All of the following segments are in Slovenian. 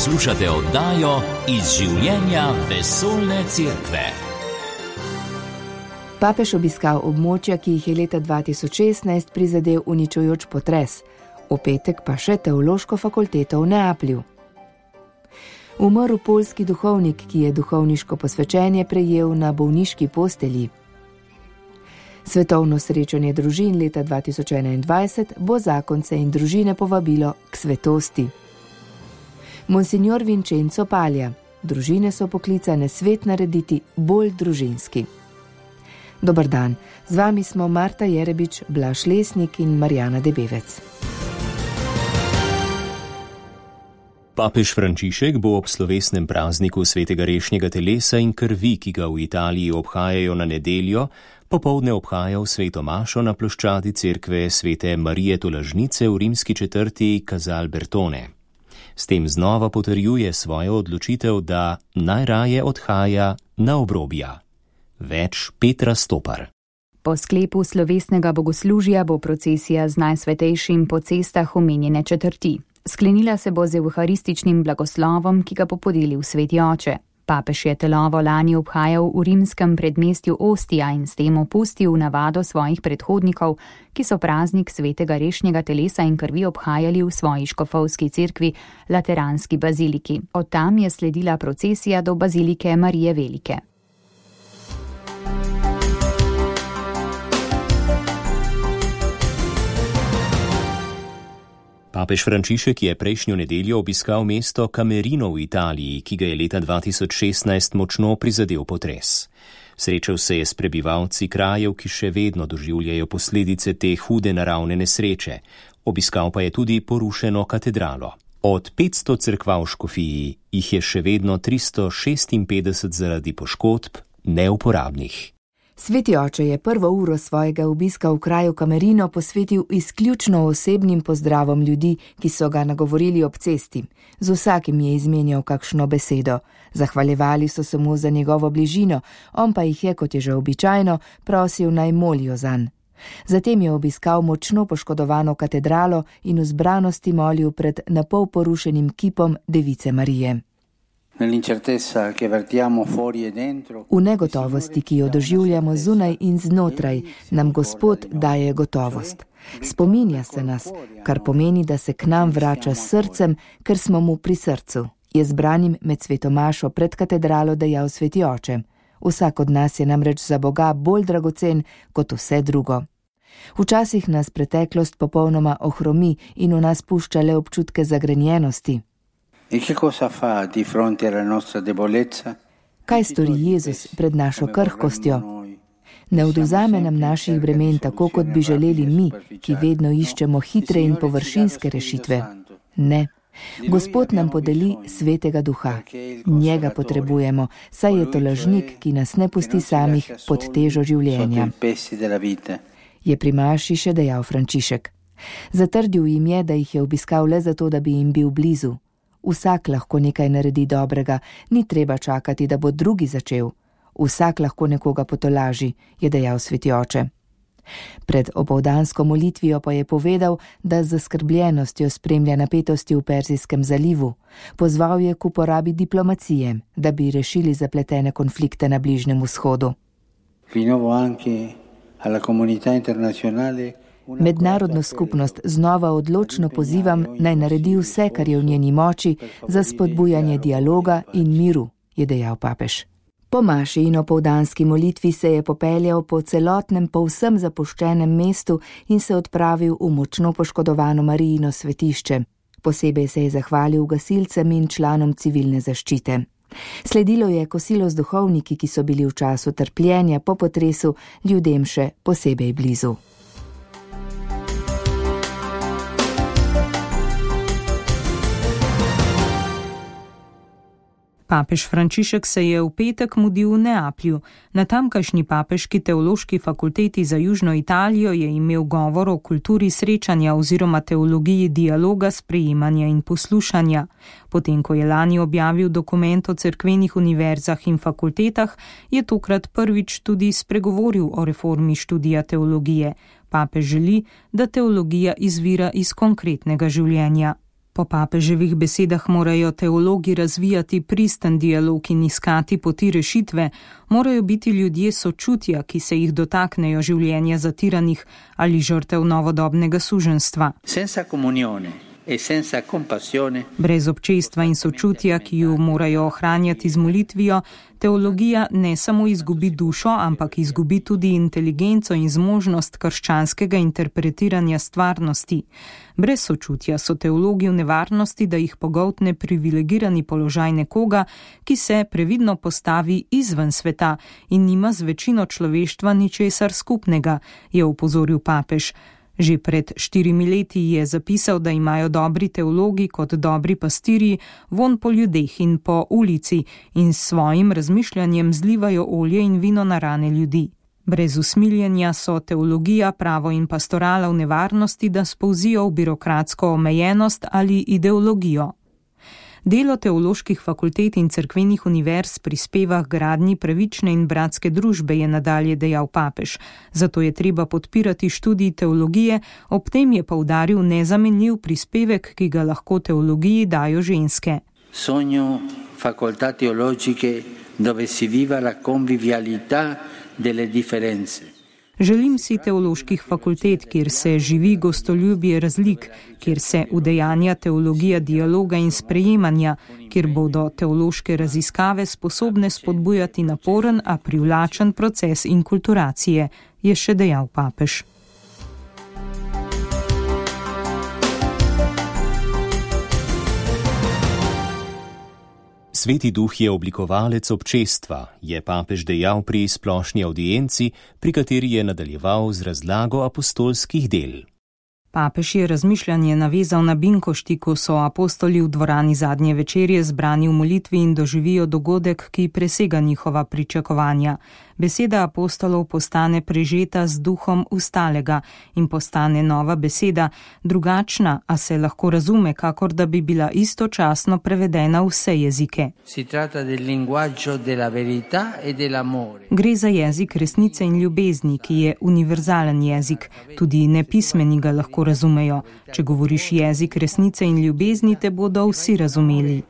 Poslušate oddajo Iz življenja vesoljne cerkve. Papež obiskal območja, ki jih je leta 2016 prizadel uničujoč potres, v petek pa še teološko fakulteto v Neaplju. Umrl poljski duhovnik, ki je duhovniško posvečenje prejel na bolniški postelji. Svetovno srečanje družin leta 2021 bo zakonce in družine povabilo k svetosti. Monsignor Vincenzo Paglia: družine so poklicane svet narediti bolj družinski. Dobar dan, z vami smo Marta Jerebič, Blaž Lesnik in Marjana Debevec. Papež Frančišek bo ob slovesnem prazniku svetega rešnjega telesa in krvi, ki ga v Italiji obhajajo na nedeljo, popoldne obhajal sveto mašo na ploščadi cerkve svete Marije Tolažnice v rimski četrti Casal Bertone. S tem znova potrjuje svojo odločitev, da najraje odhaja na obrobja. Več Petra Stopar. Po sklepu slovesnega bogoslužja bo procesija z Najsvetejšim po cestah omenjene četrti. Sklenila se bo z evharističnim blagoslovom, ki ga bo podelil sveti oče. Papež je telovo lani obhajal v rimskem predmestju Ostija in s tem opustil navado svojih predhodnikov, ki so praznik svetega rešnjega telesa in krvi obhajali v svoji škofovski cerkvi, Lateranski baziliki. Od tam je sledila procesija do bazilike Marije Velike. Papež Frančišek je prejšnjo nedeljo obiskal mesto Camerino v Italiji, ki ga je leta 2016 močno prizadel potres. Srečal se je s prebivalci krajev, ki še vedno doživljajo posledice te hude naravne nesreče. Obiskal pa je tudi porušeno katedralo. Od 500 cerkva v škofiji jih je še vedno 356 zaradi poškodb neuporabnih. Sveti oče je prvo uro svojega obiska v kraju Camerino posvetil izključno osebnim pozdravom ljudi, ki so ga nagovorili ob cesti. Z vsakim je izmenjal kakšno besedo. Zahvaljevali so se mu za njegovo bližino, on pa jih je, kot je že običajno, prosil naj molijo zanj. Zatem je obiskal močno poškodovano katedralo in v zbranosti molil pred napol porušenim kipom Device Marije. V negotovosti, ki jo doživljamo zunaj in znotraj, nam Gospod daje gotovost. Spominja se nas, kar pomeni, da se k nam vrača s srcem, ker smo mu pri srcu, je zbranim med svetomašo pred katedralo dejal sveti oče. Vsak od nas je namreč za Boga bolj dragocen kot vse drugo. Včasih nas preteklost popolnoma ohromi in v nas pušča le občutke zagrenjenosti. Kaj stori Jezus pred našo krhkostjo? Ne odvzame nam naših bremen tako, kot bi želeli mi, ki vedno iščemo hitre in površinske rešitve. Ne. Gospod nam podeli svetega duha. Njega potrebujemo, saj je to lažnik, ki nas ne pusti samih pod težo življenja. Je pri maši še dejal Frančišek. Zatrdil jim je, da jih je obiskal le zato, da bi jim bil blizu. Vsak lahko nekaj naredi dobrega, ni treba čakati, da bo drugi začel. Vsak lahko nekoga potolaži, je dejal sveti oče. Pred opoldansko molitvijo pa je povedal, da z zaskrbljenostjo spremlja napetosti v Perzijskem zalivu. Pozval je k uporabi diplomacije, da bi rešili zapletene konflikte na Bližnjem vzhodu. Mednarodno skupnost znova odločno pozivam, naj naredi vse, kar je v njeni moči, za spodbujanje dialoga in miru, je dejal papež. Po maši in opoldanski molitvi se je popeljal po celotnem, povsem zapuščenem mestu in se odpravil v močno poškodovano Marijino svetišče. Posebej se je zahvalil gasilcem in članom civilne zaščite. Sledilo je kosilo z duhovniki, ki so bili v času trpljenja po potresu ljudem še posebej blizu. Papež Frančišek se je v petek mudil v Neaplju. Na tamkajšnji papeški teološki fakulteti za Južno Italijo je imel govor o kulturi srečanja oziroma teologiji dialoga, sprejemanja in poslušanja. Potem, ko je lani objavil dokument o cerkvenih univerzah in fakultetah, je tokrat prvič tudi spregovoril o reformi študija teologije. Papež želi, da teologija izvira iz konkretnega življenja. Po papeževih besedah morajo teologi razvijati pristen dialog in iskati poti rešitve, morajo biti ljudje sočutja, ki se jih dotaknejo življenja zatiranih ali žrtev novodobnega suženjstva. Brez občestva in sočutja, ki ju morajo ohranjati z molitvijo, teologija ne samo izgubi dušo, ampak izgubi tudi inteligenco in zmožnost krščanskega interpretiranja stvarnosti. Brez sočutja so teologi v nevarnosti, da jih pogoltne privilegirani položaj nekoga, ki se previdno postavi izven sveta in nima z večino človeštva ničesar skupnega, je opozoril papež. Že pred 4 leti je zapisal, da imajo dobri teologi kot dobri pastirji vonj po ljudeh in po ulici in s svojim razmišljanjem zlivajo olje in vino na rane ljudi. Brez usmiljenja so teologija, pravo in pastorala v nevarnosti, da spolzijo v birokratsko omejenost ali ideologijo. Delo teoloških fakultet in cerkvenih univerz prispeva k gradnji pravične in bratske družbe, je nadalje dejal papež. Zato je treba podpirati študij teologije, ob tem je poudaril nezamenljiv prispevek, ki ga lahko teologiji dajo ženske. Sogno facoltà teologiche dove si viva la convivialità delle differenze. Želim si teoloških fakultet, kjer se živi gostoljubje razlik, kjer se udejanja teologija dialoga in sprejemanja, kjer bodo teološke raziskave sposobne spodbujati naporen, a privlačen proces inkulturacije, je še dejal papež. Sveti duh je oblikovalec občestva, je papež dejal pri splošni audienci, pri kateri je nadaljeval z razlago apostolskih del. Papež je razmišljanje navezal na binkošti, ko so apostoli v dvorani zadnje večerje zbrani v molitvi in doživijo dogodek, ki presega njihova pričakovanja. Beseda apostolov postane prežeta z duhom ustalega in postane nova beseda, drugačna, a se lahko razume, kakor da bi bila istočasno prevedena v vse jezike. Gre za jezik resnice in ljubezni, ki je univerzalen jezik, tudi nepismeni ga lahko razumejo. Če govoriš jezik resnice in ljubezni, te bodo vsi razumeli,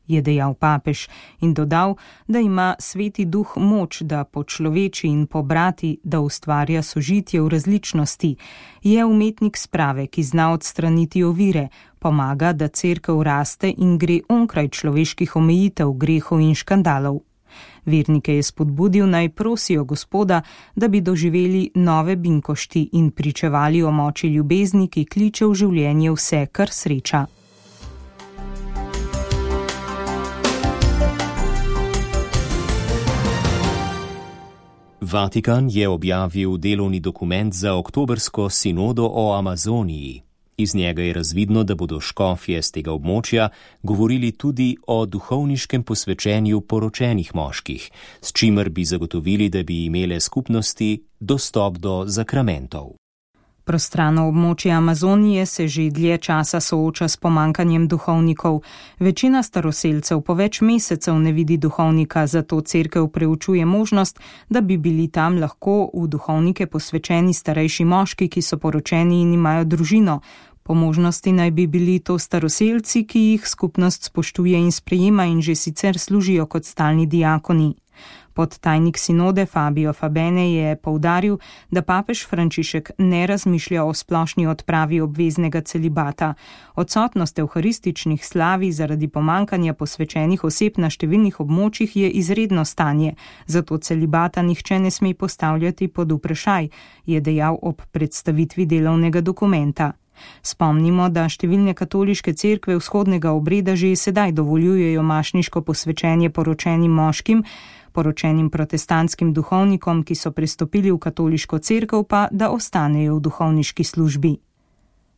je dejal papež in dodal, da ima Sveti duh moč, da počloveči in pobrati, da ustvarja sožitje v različnosti. Je umetnik sprave, ki zna odstraniti ovire, pomaga, da cerkev raste in gre onkraj človeških omejitev, grehov in škandalov. Vernike je spodbudil, naj prosijo Gospoda, da bi doživeli nove binkošti in pričevali o moči ljubezni, ki kliče v življenje vse, kar sreča. Vatikan je objavil delovni dokument za oktobrsko sinodo o Amazoniji. Iz njega je razvidno, da bodo škofje z tega območja govorili tudi o duhovniškem posvečenju poročenih moških, s čimer bi zagotovili, da bi imele skupnosti dostop do zakramentov. Prostrano območje Amazonije se že dlje časa sooča s pomankanjem duhovnikov. Večina staroselcev po več mesecev ne vidi duhovnika, zato cerkev preučuje možnost, da bi bili tam lahko v duhovnike posvečeni starejši moški, ki so poročeni in imajo družino. Po možnosti naj bi bili to staroselci, ki jih skupnost spoštuje in sprejema in že sicer služijo kot stalni diakoni. Podtajnik sinode Fabio Fabene je poudaril, da papež Frančišek ne razmišlja o splošni odpravi obveznega celibata. Odsotnost evharističnih slavi zaradi pomankanja posvečenih oseb na številnih območjih je izredno stanje, zato celibata nihče ne sme postavljati pod vprašaj, je dejal ob predstavitvi delovnega dokumenta. Spomnimo, da številne katoliške cerkve vzhodnega obreda že sedaj dovoljujejo mašniško posvečenje poročenim moškim, poročenim protestantskim duhovnikom, ki so prestopili v katoliško cerkev, pa da ostanejo v duhovniški službi.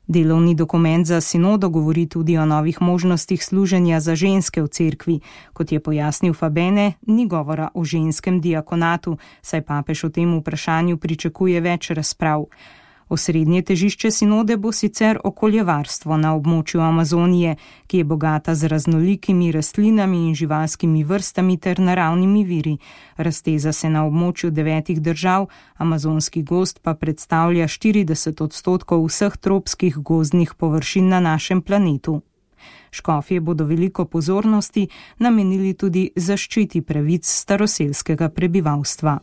Delovni dokument za sinodo govori tudi o novih možnostih služenja za ženske v cerkvi. Kot je pojasnil Fabene, ni govora o ženskem diakonatu, saj papež o tem vprašanju pričakuje več razprav. Osrednje težišče sinode bo sicer okoljevarstvo na območju Amazonije, ki je bogata z raznolikimi rastlinami in živalskimi vrstami ter naravnimi viri. Razteza se na območju 9 držav, amazonski gozd pa predstavlja 40% vseh tropskih gozdnih površin na našem planetu. Škofje bodo veliko pozornosti namenili tudi zaščiti pravic staroselskega prebivalstva.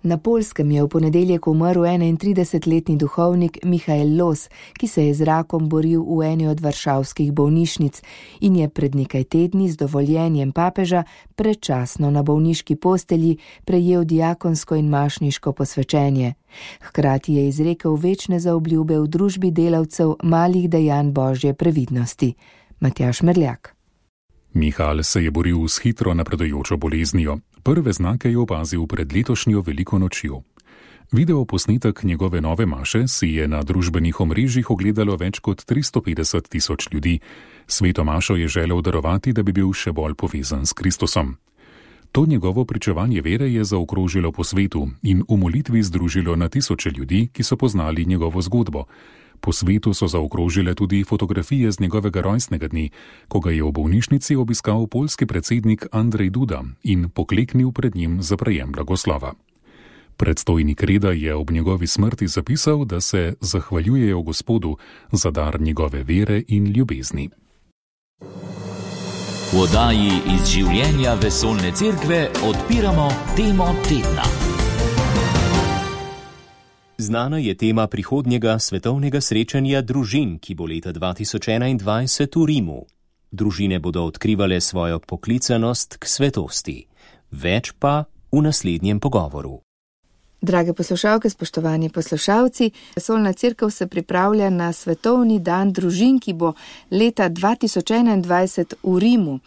Na Poljskem je v ponedeljek umrl 31-letni duhovnik Michael Los, ki se je z rakom boril v eni od varšavskih bolnišnic in je pred nekaj tedni z dovoljenjem papeža predčasno na bolniški postelji prejel diakonsko in mašniško posvečenje. Hkrati je izrekel večne zaobljube v družbi delavcev malih dejanj Božje previdnosti. Matjaž Merljak. Michael se je boril s hitro napredujočo boleznijo. Prve znake je opazil pred letošnjo veliko nočjo. Video posnetek njegove nove maše si je na družbenih omrežjih ogledalo več kot 350 tisoč ljudi. Sveto mašo je želel darovati, da bi bil še bolj povezan s Kristusom. To njegovo pričevanje vere je zaokrožilo po svetu in v molitvi združilo na tisoče ljudi, ki so poznali njegovo zgodbo. Po svetu so zaokrožile tudi fotografije z njegovega rojstnega dne, ko ga je v bolnišnici obiskal poljski predsednik Andrej Duda in pokleknil pred njim za prejem blagoslova. Predstojnik reda je ob njegovi smrti zapisal, da se zahvaljujejo Gospodu za dar njegove vere in ljubezni. V oddaji iz življenja Vesoljne cerkve odpiramo temo tedna. Znana je tema prihodnjega svetovnega srečanja družin, ki bo leta 2021 v Rimu. Družine bodo odkrivale svojo poklicanost k svetosti. Več pa v naslednjem pogovoru. Drage poslušalke, spoštovani poslušalci, Vesoljna cerkev se pripravlja na svetovni dan družin, ki bo leta 2021 v Rimu.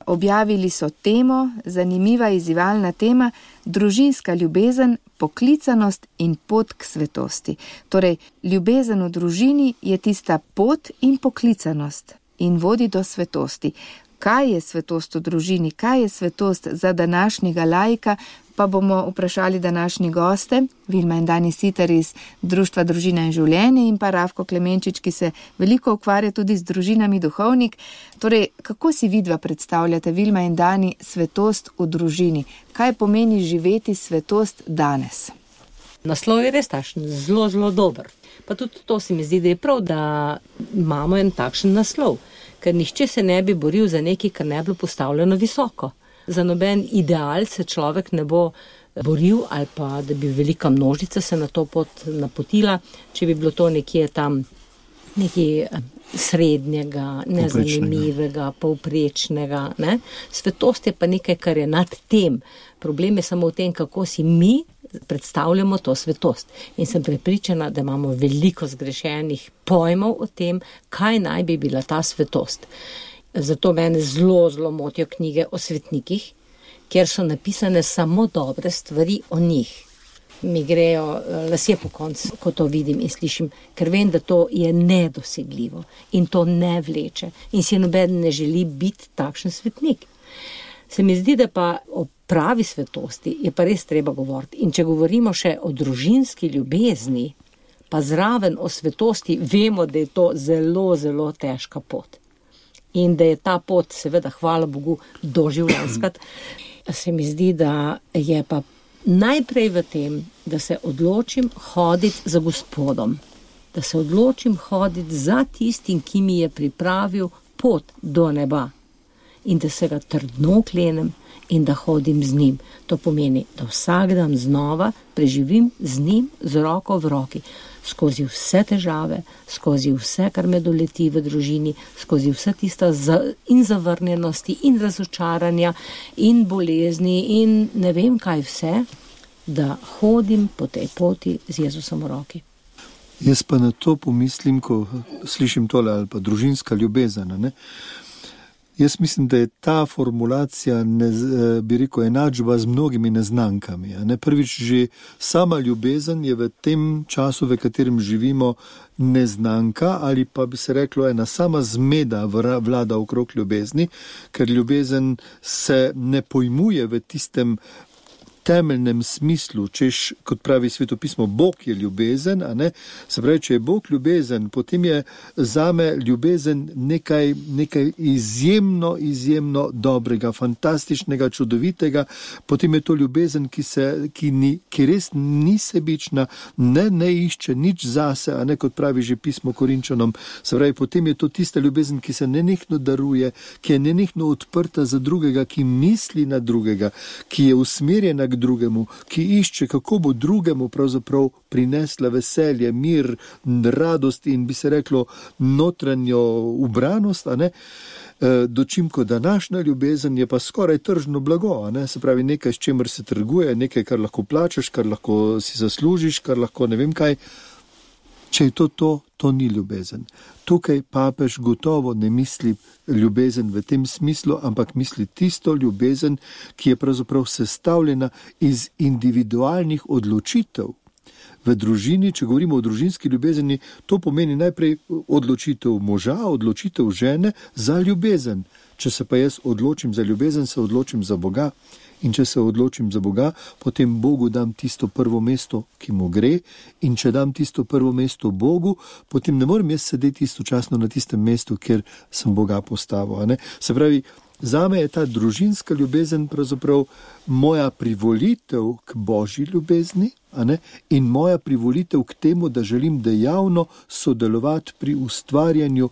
Objavili so temo, zanimiva izzivalna tema, družinska ljubezen, poklicanost in pot k svetosti. Torej, ljubezen v družini je tista pot in poklicanost in vodi do svetosti. Kaj je svetost v družini, kaj je svetost za današnjega laika, pa bomo vprašali današnji goste, Vilma in Dani Siter iz Društva Družina in življenje in pa Rafko Klemenčič, ki se veliko ukvarja tudi z družinami duhovnik. Torej, kako si vidva predstavljate, Vilma in Dani, svetost v družini? Kaj pomeni živeti svetost danes? Naslov je res takšen, zelo, zelo dober. Pa tudi to se mi zdi, da je prav, da imamo en takšen naslov, ker nihče se ne bi boril za nekaj, kar ne bi bilo postavljeno visoko. Za noben ideal se človek ne bo boril ali pa, da bi velika množica se na to pot napotila, če bi bilo to nekje tam nekaj srednjega, nezanimivega, povprečnega. Ne? Svetost je pa nekaj, kar je nad tem. Problem je samo v tem, kako si mi predstavljamo to svetost. In sem prepričana, da imamo veliko zgrešenih pojmov o tem, kaj naj bi bila ta svetost. Zato mene zelo, zelo motijo knjige o svetnikih, kjer so napisane samo dobre stvari o njih. Mi grejo lasje po koncu, ko to vidim in slišim, ker vem, da to je nedosegljivo in to ne vleče. In si noben ne želi biti takšen svetnik. Se mi zdi, da pa o pravi svetosti je pa res treba govoriti. In če govorimo še o družinski ljubezni, pa zraven o svetosti, vemo, da je to zelo, zelo težka pot. In da je ta pot, seveda, hvala Bogu, doživljenjska. Se mi zdi, da je pa najprej v tem, da se odločim hoditi za Gospodom. Da se odločim hoditi za tistim, ki mi je pripravil pot do neba. In da se ga trdno oklenem in da hodim z njim. To pomeni, da vsak dan znova preživim z njim z roko v roki. Skozi vse težave, skozi vse, kar me doleti v družini, skozi vse tista in zavrnjenosti in razočaranja in bolezni in ne vem kaj vse, da hodim po tej poti z Jezusom v roki. Jaz pa na to pomislim, ko slišim tole ali pa družinska ljubezen. Ne? Jaz mislim, da je ta formulacija, bi rekel, enačba z mnogimi neznankami. Ne? Prvič, že sama ljubezen je v tem času, v katerem živimo, neznanka ali pa bi se reklo ena sama zmeda vlada okrog ljubezni, ker ljubezen se ne pojmuje v tistem temeljnem smislu, češ, kot pravi svetopismo, Bog je ljubezen, a ne? Se pravi, če je Bog ljubezen, potem je zame ljubezen nekaj izjemno dobrega, fantastičnega, čudovitega, potem je to ljubezen, ki res ni sebična, ne išče nič zase, a ne, kot pravi že pismo Korinčanom. Se pravi, potem je to tista ljubezen, ki se nenehno daruje, ki je nenehno odprta za drugega, ki misli na drugega, ki je usmerjena k drugemu, ki išče, kako bo drugemu pravzaprav prinesla veselje, mir, radost in bi se reklo notranjo ubranost, a ne? Dočim, ko današnja ljubezen je pa skoraj tržno blago, a ne? Se pravi nekaj, s čemer se trguje, nekaj, kar lahko plačaš, kar lahko si zaslužiš, kar lahko ne vem kaj. Če je to ni ljubezen. Tukaj papež gotovo ne misli ljubezen v tem smislu, ampak misli tisto ljubezen, ki je pravzaprav sestavljena iz individualnih odločitev. V družini, če govorimo o družinski ljubezeni, to pomeni najprej odločitev moža, odločitev žene za ljubezen. Če se pa jaz odločim za ljubezen, se odločim za Boga. In če se odločim za Boga, potem Bogu dam tisto prvo mesto, ki mu gre, in če dam tisto prvo mesto Bogu, potem ne morem jaz sedeti istočasno na tistem mestu, kjer sem Boga postavil. A ne? Se pravi, zame je ta družinska ljubezen pravzaprav moja privolitev k Božji ljubezni, a ne? In moja privolitev k temu, da želim dejavno sodelovati pri ustvarjanju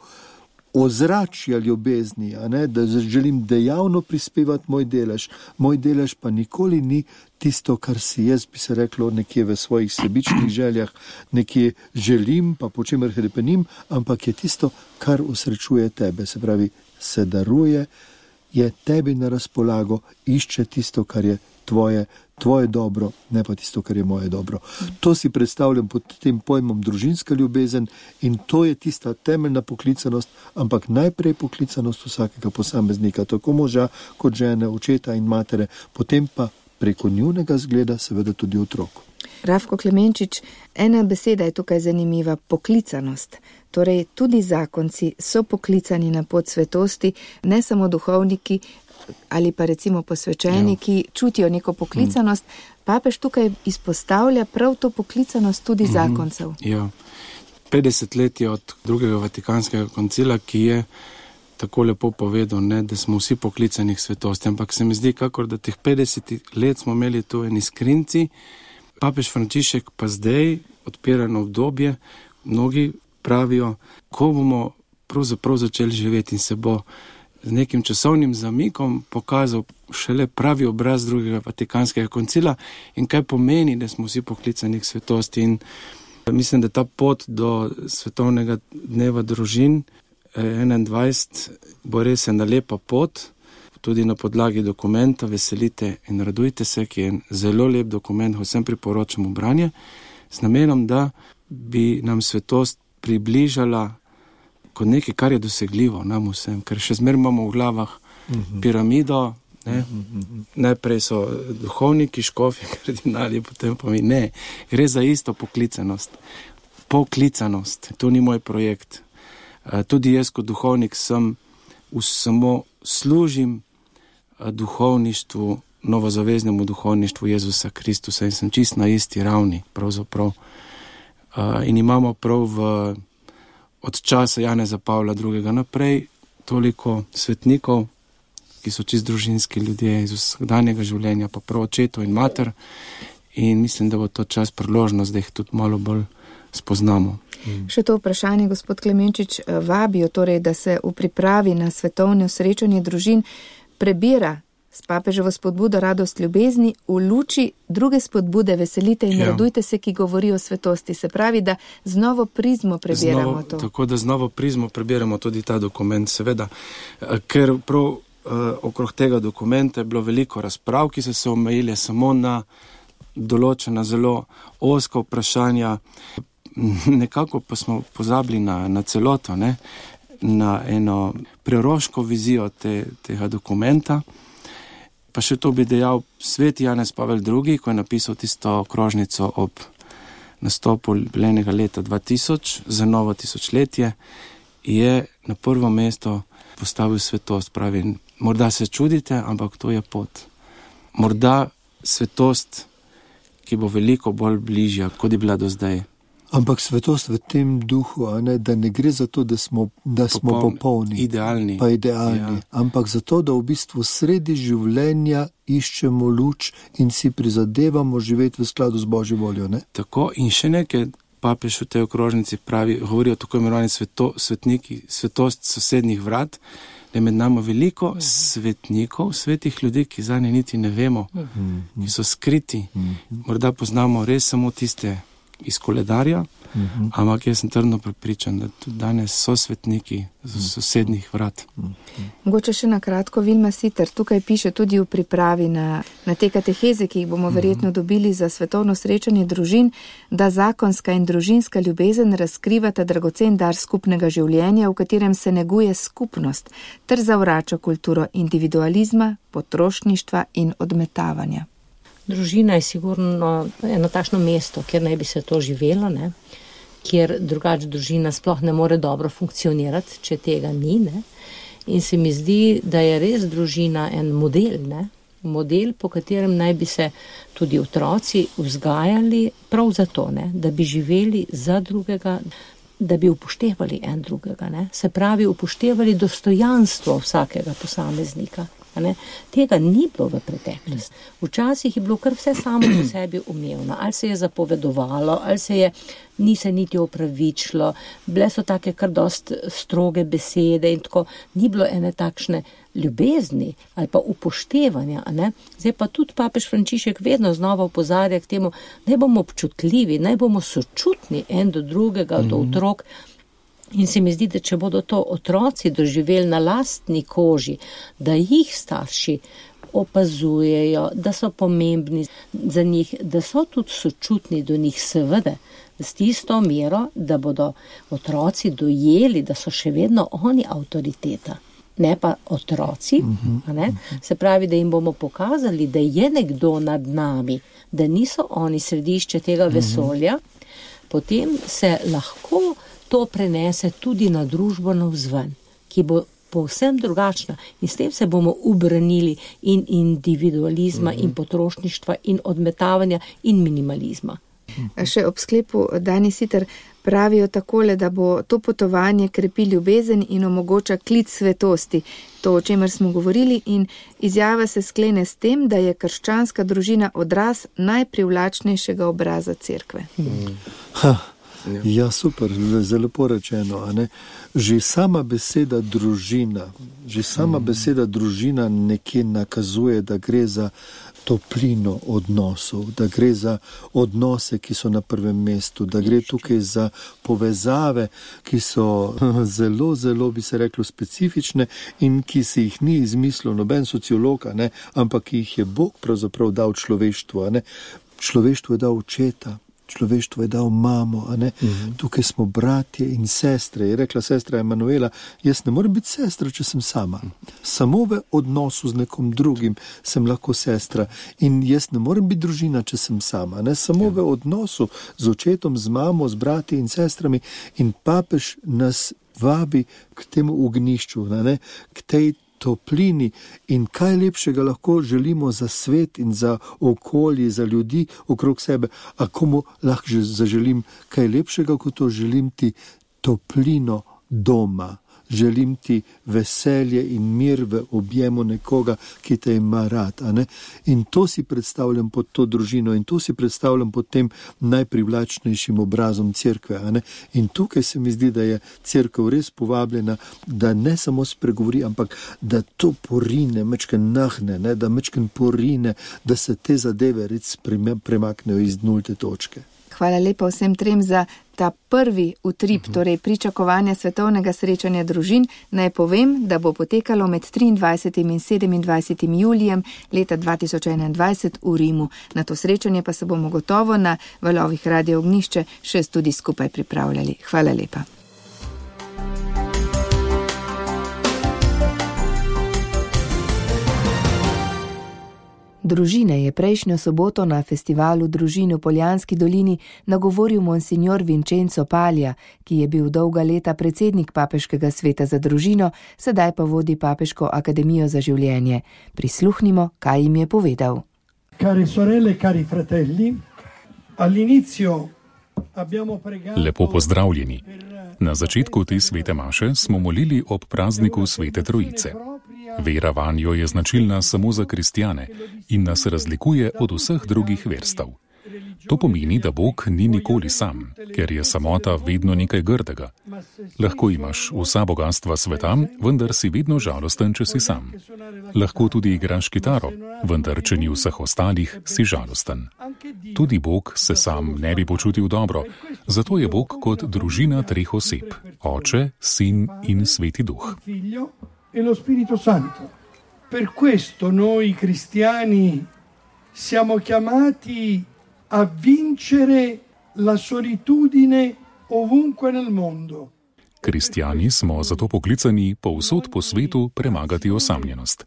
ozračja ljubezni, a ne, da želim dejavno prispevati moj delež. Moj delež pa nikoli ni tisto, kar si jaz, bi se reklo, nekje v svojih sebičnih željah, nekje želim, pa po čemer hrepenim, ampak je tisto, kar usrečuje tebe. Se pravi, se daruje, je tebi na razpolago, išče tisto, kar je tvoje dobro, ne pa tisto, kar je moje dobro. To si predstavljam pod tem pojmom družinska ljubezen in to je tista temeljna poklicanost, ampak najprej poklicanost vsakega posameznika, tako moža kot žene, očeta in matere, potem pa preko njunega zgleda seveda tudi otrok. Rafko Klemenčič, ena beseda je tukaj zanimiva, poklicanost. Torej, tudi zakonci so poklicani na pot svetosti, ne samo duhovniki ali pa recimo posvečeni, ki čutijo neko poklicanost. Papež tukaj izpostavlja prav to poklicanost tudi zakoncev. Ja, 50 let je od drugega Vatikanskega koncila, ki je tako lepo povedal, ne, da smo vsi poklicani k svetosti, ampak se mi zdi, kakor da teh 50 let smo imeli tu eni skrinci, papež Frančišek pa zdaj odpirano obdobje, mnogi pravijo, ko bomo pravzaprav začeli živeti in se bo z nekim časovnim zamikom pokazal šele pravi obraz drugega Vatikanskega koncila in kaj pomeni, da smo vsi poklicani k svetosti. In mislim, da ta pot do svetovnega dneva družin 21 bo res ena lepa pot, tudi na podlagi dokumenta Veselite in radujte se, ki je zelo lep dokument, vsem priporočamo branje, z namenom, da bi nam svetost približala kot nekaj, kar je dosegljivo nam vsem, ker še zmer imamo v glavah piramido, ne? Najprej so duhovniki, škofi, kardinali, potem pa mi ne. Gre za isto poklicanost. Poklicanost, to ni moj projekt. Tudi jaz kot duhovnik samo služim duhovništvu, novozaveznemu duhovništvu Jezusa Kristusa in sem čist na isti ravni, pravzaprav. In imamo prav od časa Janeza Pavla II. Naprej toliko svetnikov, ki so čist družinski ljudje iz vsakdanjega življenja, pa prav očetov in mater. In mislim, da bo to čas priložnost, da jih tudi malo bolj spoznamo. Še to vprašanje, gospod Klemenčič, vabijo torej, da se v pripravi na svetovno srečanje družin prebira s papeževo spodbudo radost ljubezni v luči druge spodbude Veselite in radujte se, ki govori o svetosti. Se pravi, da z novo prizmo prebiramo to. Tako da z novo prizmo prebiramo tudi ta dokument, seveda. Ker prav okrog tega dokumenta je bilo veliko razprav, ki so se omejile samo na določena zelo ozka vprašanja. Nekako pa smo pozabili na celoto, ne? na eno preroško vizijo tega dokumenta. Pa še to bi dejal, sveti Janez Pavel II, ko je napisal tisto krožnico ob nastopu jubilejnega leta 2000 za novo tisočletje, je na prvo mesto postavil svetost. Pravi, morda se čudite, ampak to je pot. Morda svetost, ki bo veliko bolj bližja, kot je bila do zdaj. Ampak svetost v tem duhu, da ne gre za to, da smo popolni, idealni, ampak za to, da v bistvu sredi življenja iščemo luč in si prizadevamo živeti v skladu z Božjo voljo. Ne? Tako, in še nekaj papež v tej okrožnici pravi, govori o tako imenovani svetniki, svetost sosednjih vrat, da je med nami veliko svetnikov, svetih ljudi, ki zanje niti ne vemo, ki so skriti. Morda poznamo res samo tiste iz koledarja, ampak jaz sem trdno prepričan, da tudi danes so svetniki z sosednjih vrat. Mogoče še na kratko, Vilma Siter, tukaj piše tudi v pripravi na te kateheze, ki jih bomo verjetno dobili za svetovno srečanje družin, da zakonska in družinska ljubezen razkrivata dragocen dar skupnega življenja, v katerem se neguje skupnost, ter zavrača kulturo individualizma, potrošništva in odmetavanja. Družina je sigurno eno takšno mesto, kjer naj bi se to živelo, ne? Kjer drugače družina sploh ne more dobro funkcionirati, če tega ni. Ne? In se mi zdi, da je res družina en model, ne? Model, po katerem naj bi se tudi otroci vzgajali prav zato, ne? Da bi živeli za drugega, da bi upoštevali en drugega. Ne? Se pravi, upoštevali dostojanstvo vsakega posameznika. Ne? Tega ni bilo v preteklosti. Včasih je bilo kar vse samo po sebi umevno. Ali se je zapovedovalo, ali ni se niti opravičilo, bile so take kar dost stroge besede in tako. Ni bilo ene takšne ljubezni ali pa upoštevanja. Ne? Zdaj pa tudi papež Frančišek vedno znova opozarja k temu, naj bomo občutljivi, naj bomo sočutni en do drugega, do otrok. In se mi zdi, da če bodo to otroci doživeli na lastni koži, da jih starši opazujejo, da so pomembni za njih, da so tudi sočutni do njih, seveda, s tisto mero, da bodo otroci dojeli, da so še vedno oni avtoriteta, ne pa otroci. Ne? Se pravi, da jim bomo pokazali, da je nekdo nad nami, da niso oni središče tega vesolja, potem se lahko to prenese tudi na družbo navzven, ki bo povsem drugačna. In s tem se bomo ubranili in individualizma, in potrošništva, in odmetavanja, in minimalizma. Še ob sklepu Dani Siter pravijo takole, da bo to potovanje krepi ljubezen in omogoča klic svetosti. To, o čemer smo govorili, in izjava se sklene s tem, da je krščanska družina odraz najprivlačnejšega obraza cerkve. Ja, super, zelo lepo rečeno. A ne? Že sama beseda družina nekje nakazuje, da gre za toplino odnosov, da gre za odnose, ki so na prvem mestu, da gre tukaj za povezave, ki so zelo, zelo, bi se reklo, specifične in ki si jih ni izmislil noben sociolog, ampak ki jih je Bog pravzaprav dal človeštvu. Človeštvu je dal očeta, človeštvo je dal mamo, Tukaj smo bratje in sestre. Je rekla sestra Emanuela, jaz ne morem biti sestra, če sem sama. Samo v odnosu z nekom drugim sem lahko sestra. In jaz ne morem biti družina, če sem sama. Samo v odnosu z očetom, z mamo, z brati in sestrami. In papež nas vabi k temu ognjišču, k tej toplini, in kaj lepšega lahko želimo za svet in za okolje, za ljudi okrog sebe. A komu lahko zaželim kaj lepšega, kot to želim ti toplino doma, želim ti veselje in mir v objemu nekoga, ki te ima rad. In to si predstavljam pod to družino in to si predstavljam pod tem najprivlačnejšim obrazom cerkve. In tukaj se mi zdi, da je cerkev res povabljena, da ne samo spregovori, ampak da to porine, mečken nahne, da mečken porine, da se te zadeve res premaknejo iz nulte točke. Hvala lepa vsem trem za ta prvi utrip, torej pričakovanja svetovnega srečanja družin. Naj povem, da bo potekalo med 23. in 27. julijem leta 2021 v Rimu. Na to srečanje pa se bomo gotovo na valovih Radio Ognjišče še tudi skupaj pripravljali. Hvala lepa. Družine je prejšnjo soboto na festivalu družin v Poljanski dolini nagovoril monsignor Vincenzo Palja, ki je bil dolga leta predsednik Papeškega sveta za družino, sedaj pa vodi Papeško akademijo za življenje. Prisluhnimo, kaj jim je povedal. Cari sorelle, cari fratelli, all'inizio abbiamo pregato... Lepo pozdravljeni. Na začetku te svete maše smo molili ob prazniku Svete Trojice. Vera vanjo je značilna samo za kristjane in nas razlikuje od vseh drugih verstev. To pomeni, da Bog ni nikoli sam, ker je samota vedno nekaj grdega. Lahko imaš vsa bogatstva sveta, vendar si vedno žalosten, če si sam. Lahko tudi igraš kitaro, vendar če ni vseh ostalih, si žalosten. Tudi Bog se sam ne bi počutil dobro, zato je Bog kot družina treh oseb: Oče, Sin in Sveti Duh. E lo Spirito Santo. Per questo noi cristiani siamo chiamati a vincere la solitudine ovunque nel mondo. Kristjani smo zato poklicani povsod po svetu premagati osamljenost.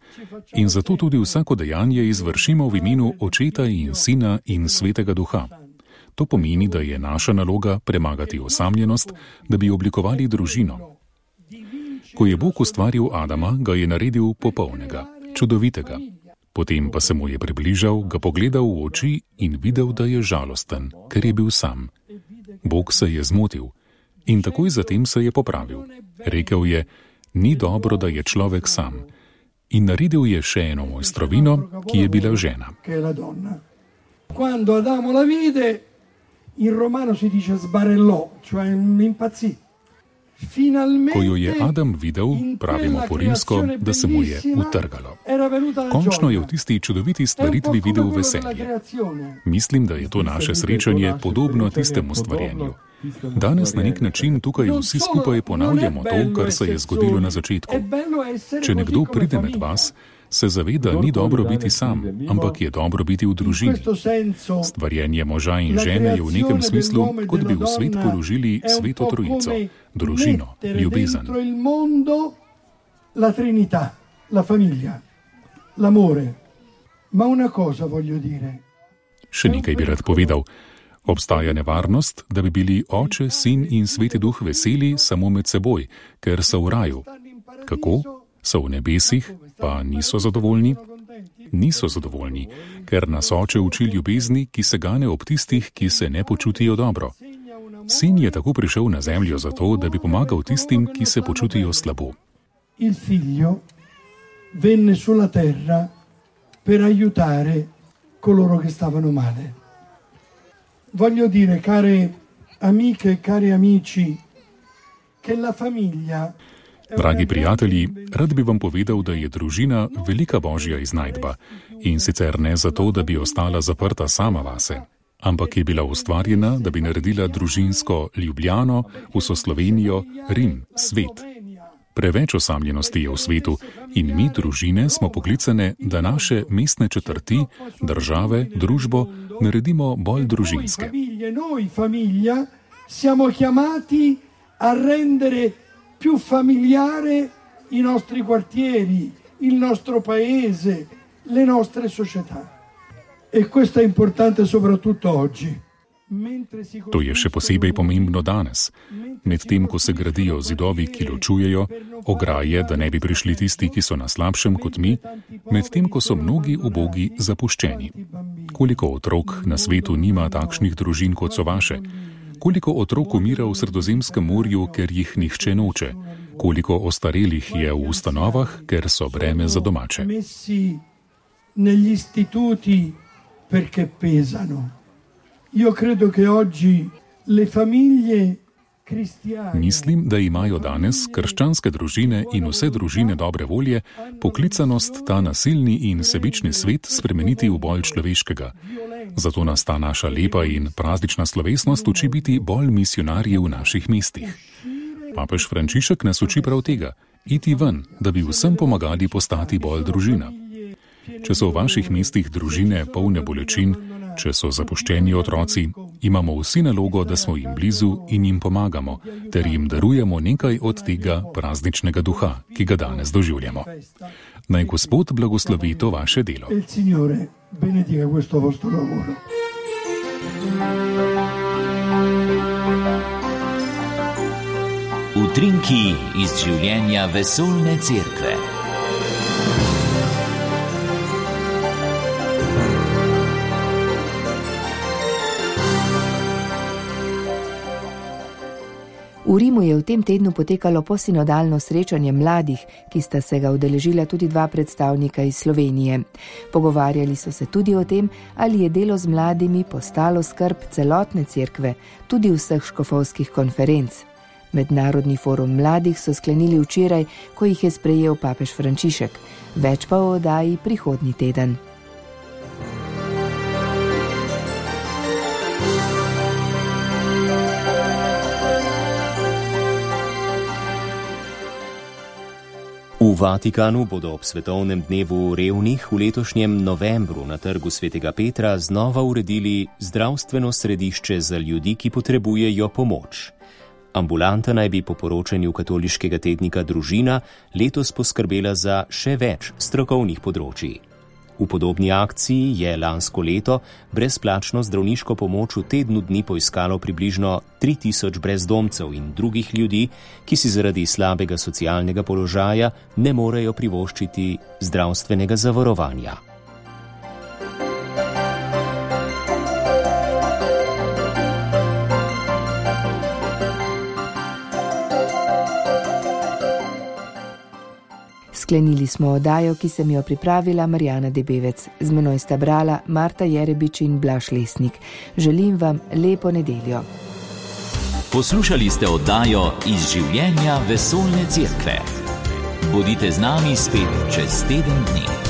In zato tudi vsako dejanje izvršimo v imenu Očeta in Sina in Svetega Duha. To pomeni, da je naša naloga premagati osamljenost, da bi oblikovali družino. Ko je Bog ustvaril Adama, ga je naredil popolnega, čudovitega. Potem pa se mu je približal, ga pogledal v oči in videl, da je žalosten, ker je bil sam. Bog se je zmotil in takoj zatem se je popravil. Rekel je: ni dobro, da je človek sam. In naredil je še eno mojstrovino, ki je bila žena. Quando Adamo la vide, in romano si dice sbarellò, cioè impazzì. Ko jo je Adam videl, pravimo po rimsko, da se mu je utrgalo. Končno je v tisti čudoviti stvaritvi videl veselje. Mislim, da je to naše srečanje podobno tistemu stvarjenju. Danes na nek način tukaj vsi skupaj ponavljamo to, kar se je zgodilo na začetku. Če nekdo pride med vas, se zaveda, ni dobro biti sam, ampak je dobro biti v družini. Stvarjenje moža in žene je v nekem smislu, kot bi v svet položili Sveto Trojico, družino, ljubezen. La Trinità, la famiglia, l'amore. Ma una cosa voglio dire. Še nekaj bi rad povedal. Obstaja nevarnost, da bi bili Oče, Sin in Sveti Duh veseli samo med seboj, ker so v raju. Kako? So v nebesih, pa niso zadovoljni? Niso zadovoljni, ker nas Oče uči ljubezni, ki se gane ob tistih, ki se ne počutijo dobro. Sin je tako prišel na zemljo zato, da bi pomagal tistim, ki se počutijo slabo. Il figlio venne sulla terra per aiutare coloro che stavano male. Voglio dire, care amiche e cari amici, che la famiglia... Dragi prijatelji, rad bi vam povedal, da je družina velika božja iznajdba in sicer ne zato, da bi ostala zaprta sama vase, ampak je bila ustvarjena, da bi naredila družinsko Ljubljano, vso Slovenijo, Rim, svet. Preveč osamljenosti je v svetu in mi, družine, smo poklicane, da naše mestne četrti, države, družbo naredimo bolj družinske. Noi famiglia siamo chiamati a rendere più familiare i nostri quartieri, il nostro paese, le nostre società. E questo è importante soprattutto oggi. To je še posebej pomembno danes, medtem ko se gradijo zidovi, ki ločujejo, ograje, da ne bi prišli tisti, ki so na slabšem kot mi, medtem ko so mnogi ubogi zapuščeni. Koliko otrok na svetu nima takšnih družin, kot so vaše? Koliko otrok umira v Sredozemskem morju, ker jih nihče noče? Koliko ostarelih je v ustanovah, ker so breme za domače? Negli istituti perché pesano. Io credo che oggi le famiglie cristiane... Mislim, da imajo danes krščanske družine in vse družine dobre volje poklicanost ta nasilni in sebični svet spremeniti v bolj človeškega. Zato nas ta naša lepa in praznična slovesnost uči biti bolj misionarji v naših mestih. Papež Frančišek nas uči prav tega, iti ven, da bi vsem pomagali postati bolj družina. Če so v vaših mestih družine polne bolečin, če so zapuščeni otroci, imamo vsi nalogo, da smo jim blizu in jim pomagamo, ter jim darujemo nekaj od tega prazničnega duha, ki ga danes doživljamo. Naj Gospod blagoslovi to vaše delo. benedica questo vostro lavoro. Utrinki iz življenja vesoljne cerkve. V Rimu je v tem tednu potekalo posinodalno srečanje mladih, ki sta se ga udeležila tudi 2 predstavnika iz Slovenije. Pogovarjali so se tudi o tem, ali je delo z mladimi postalo skrb celotne cerkve, tudi vseh škofovskih konferenc. Mednarodni forum mladih so sklenili včeraj, ko jih je sprejel papež Frančišek. Več pa o oddaji prihodnji teden. V Vatikanu bodo ob svetovnem dnevu revnih v letošnjem novembru na trgu Svetega Petra znova uredili zdravstveno središče za ljudi, ki potrebujejo pomoč. Ambulanta naj bi po poročanju katoliškega tednika Družina letos poskrbela za še več strokovnih področij. V podobni akciji je lansko leto brezplačno zdravniško pomoč v tednu dni poiskalo približno 3000 brezdomcev in drugih ljudi, ki si zaradi slabega socialnega položaja ne morejo privoščiti zdravstvenega zavarovanja. Sklenili smo oddajo, ki sem jo pripravila Marjana Debevec. Z menoj sta brala Marta Jerebič in Blaž Lesnik. Želim vam lepo nedeljo. Poslušali ste oddajo Iz življenja vesoljne cerkve. Bodite z nami spet čez teden dni.